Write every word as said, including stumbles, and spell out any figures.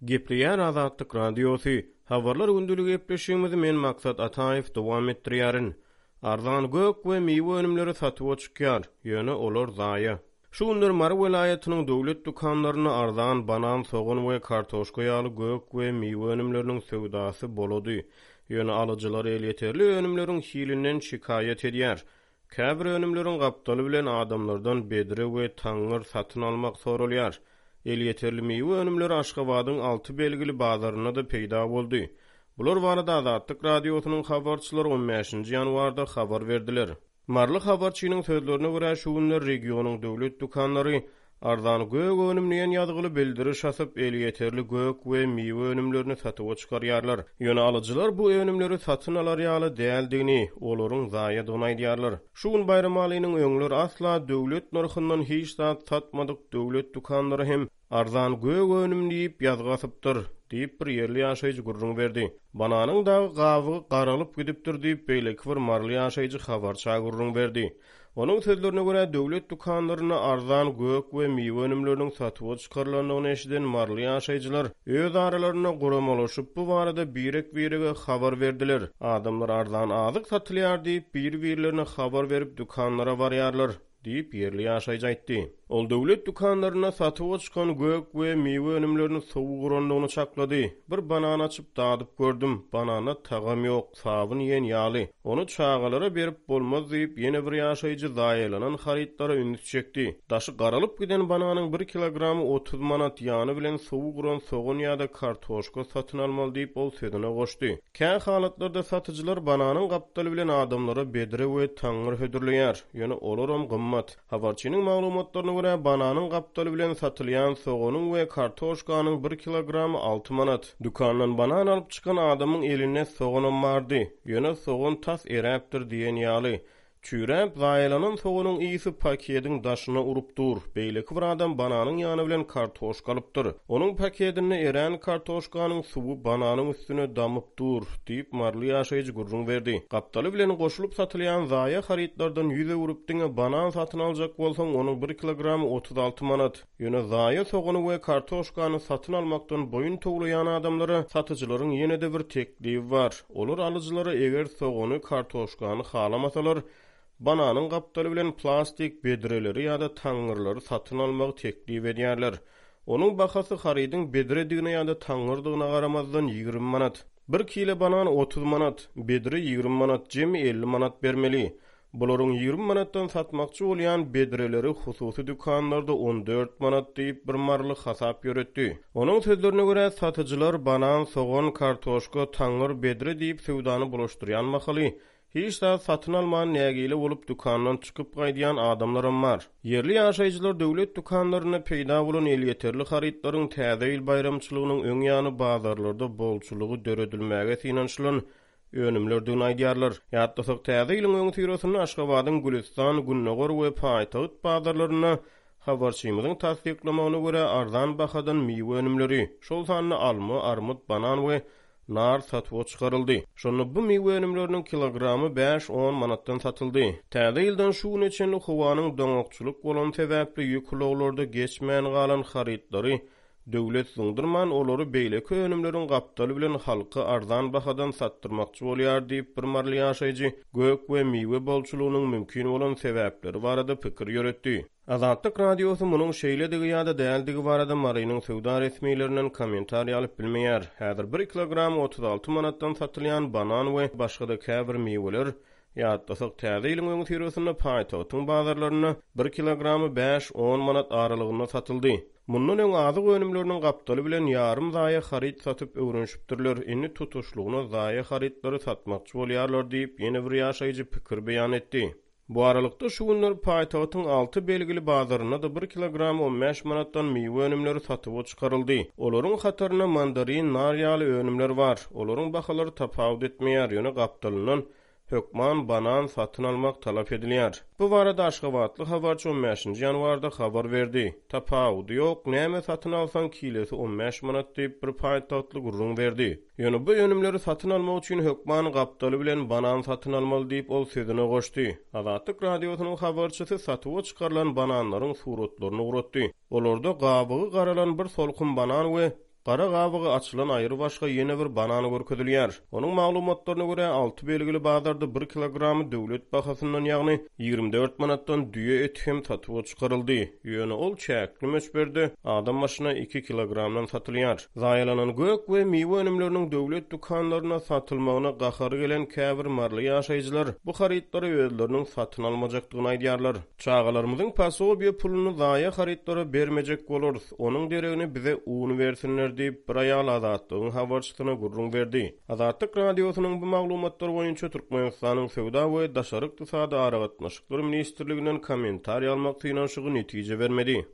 Gepleýär Azatlyk Radiosy, Habarlar gündeligi gepleşigimizi men Maksat Ataýew dowam etdirýärin. Arzan gök we miwe önümleri satuwa çykýar, ýöne olar zaýa. Şu günler Mary welaýatynyň döwlet dükanlarynda arzan banan, sogan we kartoşka ýaly gök we miwe önümleriniň söwdasy bolady. Ýöne alyjylar elýeterli önümleriň hilinden şikaýat edýär. Käbir önümleriň gapdaly bilen adamlardan bedre we taňňyr satyn almak soralýar. Elýeterli miwe önümleri Aşgabadyň alty belgili bazarynda-da peýda boldy. Bular barada Azatlyk Radiosynyň habarçylary on bäşinji ýanwarda habar berdiler. Maryly habarçynyň sözlerine görä, şu günler regionyň döwlet dükanlary arzan gök önüm diýen ýazgyly bildiriş asyp, elýeterli gök we miwe önümlerini satuwa çykarýarlar. Ýöne alyjylar bu önümleri satyn alar ýaly däldigini, olaryň zaýadygyny aýdýarlar. Şu gün Baýramalynyň öňler asla döwlet nyrhyndan hiç zat satmadyk döwlet dükanlary hem arzan gök önüm diýip ýazgy asypdyr, diýip, bir ýerli ýaşaýjy gürrüň berdi. Bananyň dagy gabygy garalyp gidipdir diýip, beýleki bir maryly ýaşaýjy habarça gürrüň berdi. Onuň sözlerine görä, döwlet dükanlarynda arzan gök we miwe önümleriniň satuwa çykarylandygyny eşiden maryly ýaşaýjylar öz aralarynda guramalaşyp, bu barada birek-birege habar berdiler. Adamlar arzan azyk satylýar diýip, bir-birlerine habar berip dükanlara barýarlar, diýip, ýerli ýaşaýjy aýtdy. Ol döwlet dükanlarynda satuwa çykan gök we miwe önümlerini sowuk urandygyny çaklady. Bir banan açyp dadyp gördüm, bananda tagam ýok, sabyn iýen ýaly. Ony çagalara berip bolmaz diýip, ýene bir ýaşaýjy zaýalanan harytlara üns çekdi. Daşy garalyp giden bananyň bir kilogramy otuz manat, ýany bilen sowuk uran sogan ýa-da kartoşka satyn almaly diýip, ol sözüne goşdy. Kä halatlarda satyjylar bananyň gapdaly bilen adamlara bedre we taňňyr hödürleýär, ýöne olaram gymmat. Habarçynyň maglumatlaryna görä, bananyň gapdaly bilen satylýan soganyň we kartoşkanyň bir kilogramy alty manat. Dükandan banan alyp çykan adamyň elinde soganam bardy, ýöne sogan tas eräpdir diýen ýaly. Çüýräp, zaýalanan soganyň ysy pakediň daşyna urup dur. Beýleki bir adam bananyň ýany bilen kartoşka alypdyr. Onuň pakedinde erän kartoşkanyň suwy bananyň üstüne damyp dur, diýip, maryly ýaşaýjy gürrüň berdi. Gapdaly bilen goşulyp satylýan zaýa harytlardan ýüz öwrüp diňe banan satyn aljak bolsaň, onuň bir kilogramy otuz alty manat. Ýöne zaýa sogany we kartoşkany satyn almakdan boýun towlaýan adamlara satyjylaryň ýene-de bir teklibi bar. Olar alyjylara eger sogany, kartoşkany halamasalar, bananyň gapdaly bilen plastik bedreleri ýa-da taňňyrlary satyn almagy teklip edýärler. Onuň bahasy harydyň bedredigine ýa-da taňňyrdygyna garamazdan ýigrimi manat. Bir kile banan otuz manat, bedre ýigrimi manat, jemi elli manat bermeli. Bularyň ýigrimi manatdan satmakçy bolýan bedreleri hususy dükanlarda on dört manat diýip bir maryly hasap ýöretdi. Onuň sözlerine görä, satyjylar banan, sogan, kartoşka, taňňyr, bedre diýip söwdany bulaşdyrýan mahaly, hiç zat satyn alman nägile bolup dükandan çykyp gaýdýan adamlaram bar. Ýerli ýaşaýjylar döwlet dükanlarynda peýda bolan elýeterli harytlaryň Täze ýyl baýramçylygynyň öň ýany bazarlarda bolçulygy döredilmäge synanyşylan önümlerdigini aýdýarlar. Ýatlasak, Täze ýylyň öňüsyrasynda Aşgabadyň Gülistan, Gündogar we Paýtagt bazarlarynda habarçymyzyň tassyklamagyna görä arzan bahadan miwe önümleri, şol sanda alma, armyt, banan we nar satuwa çykaryldy. Şonda bu miwe önümleriniň kilogramy bäş-on manatdan satyldy. Täze ýyldan şu güne çenli howanyň doňakçylyk bolan sebäpli ýük ulaglarda geçmän galan harytlary döwlet zyňdyrman, olary beýleki önümleriň gapdaly bilen halka arzan bahadan satdyrmakçy bolýar diýip, bir maryly ýaşaýjy gök we miwe bolçulygynyň mümkin bolan sebäpleri barada pikir ýöretdi. Azatlyk Radiosy munuň şeýledigi ýa-da däldigi barada Marynyň söwda resmilerinden kommentariý alyp bilmeýär. Häzir bir kilogram otuz alty manatdan satylýan banan we başga-da käbir miweler, ýatlasak, Täze ýylyň öňüsyrasynda paýtagtyň bazarlarynda bir kilogramy bäş-on manat aralygynda satyldy. Mundan öň azyk önümleriniň gapdaly bilen ýarym zaýa haryt satyp öwrenişipdirler, indi tutuşlygyna zaýa harytlary satmakçy bolýarlar diýip, ýene bir ýaşaýjy pikir beýan etdi. Bu aralykda şu günler paýtagtyň alty belgili bazarynda-da bir kilogram on bäş manatdan miwe önümleri satuwa çykaryldy. Olaryň hatarynda mandarin, nar ýaly önümler bar. Olaryň bahalary tapawut etmeýär, ýöne gapdalyndan hökman banan satyn almak talap edilýär. Bu barada Aşgabatly habarçy on bäşinji ýanwarda habar berdi. Tapawudy ýok, näme satyn alsaň kilesi on bäş manat diýip bir paýtagtly gürrüň berdi. Ýöne bu önümleri satyn almak üçin hökman gapdaly bilen banan satyn almaly diýip ol sözüne goşdy. Azatlyk Radiosynyň habarçysy satuwa çykarylan bananlaryň suratlaryny ugratdy. Olarda gabygy garalan bir solkun banan we Gara gabygy açylan aýrybaşga ýene bir banan görkezilýär. Onuň maglumatlaryna görä, alty belgili bazarda bir kilogramy döwlet bahasyndan, ýagny ýigrimi dört manatdan düýe eti hem satuwa çykaryldy. Ýöne ol çäkli möçberde, adam başyna iki kilogramdan satylýar. Zaýalanan gök we miwe önümleriniň döwlet dükanlarynda satylmagyna gahary gelen käbir maryly ýaşaýjylar bu harytlary özleriniň satyn almajakdygyny aýdýarlar. Çagalarymyzyň posobiýe puluny zaýa harytlara bermejek bolarys, onuň deregine bize un bersinler diýip, bir aýal Azatlygyň habarçysyna gürrüň berdi. Azatlyk Radiosynyň bu maglumatlar boýunça Türkmenistanyň Söwda we daşary ykdysady aragatnaşyklar ministrliginden kommentariý almak synanyşygy netije bermedi.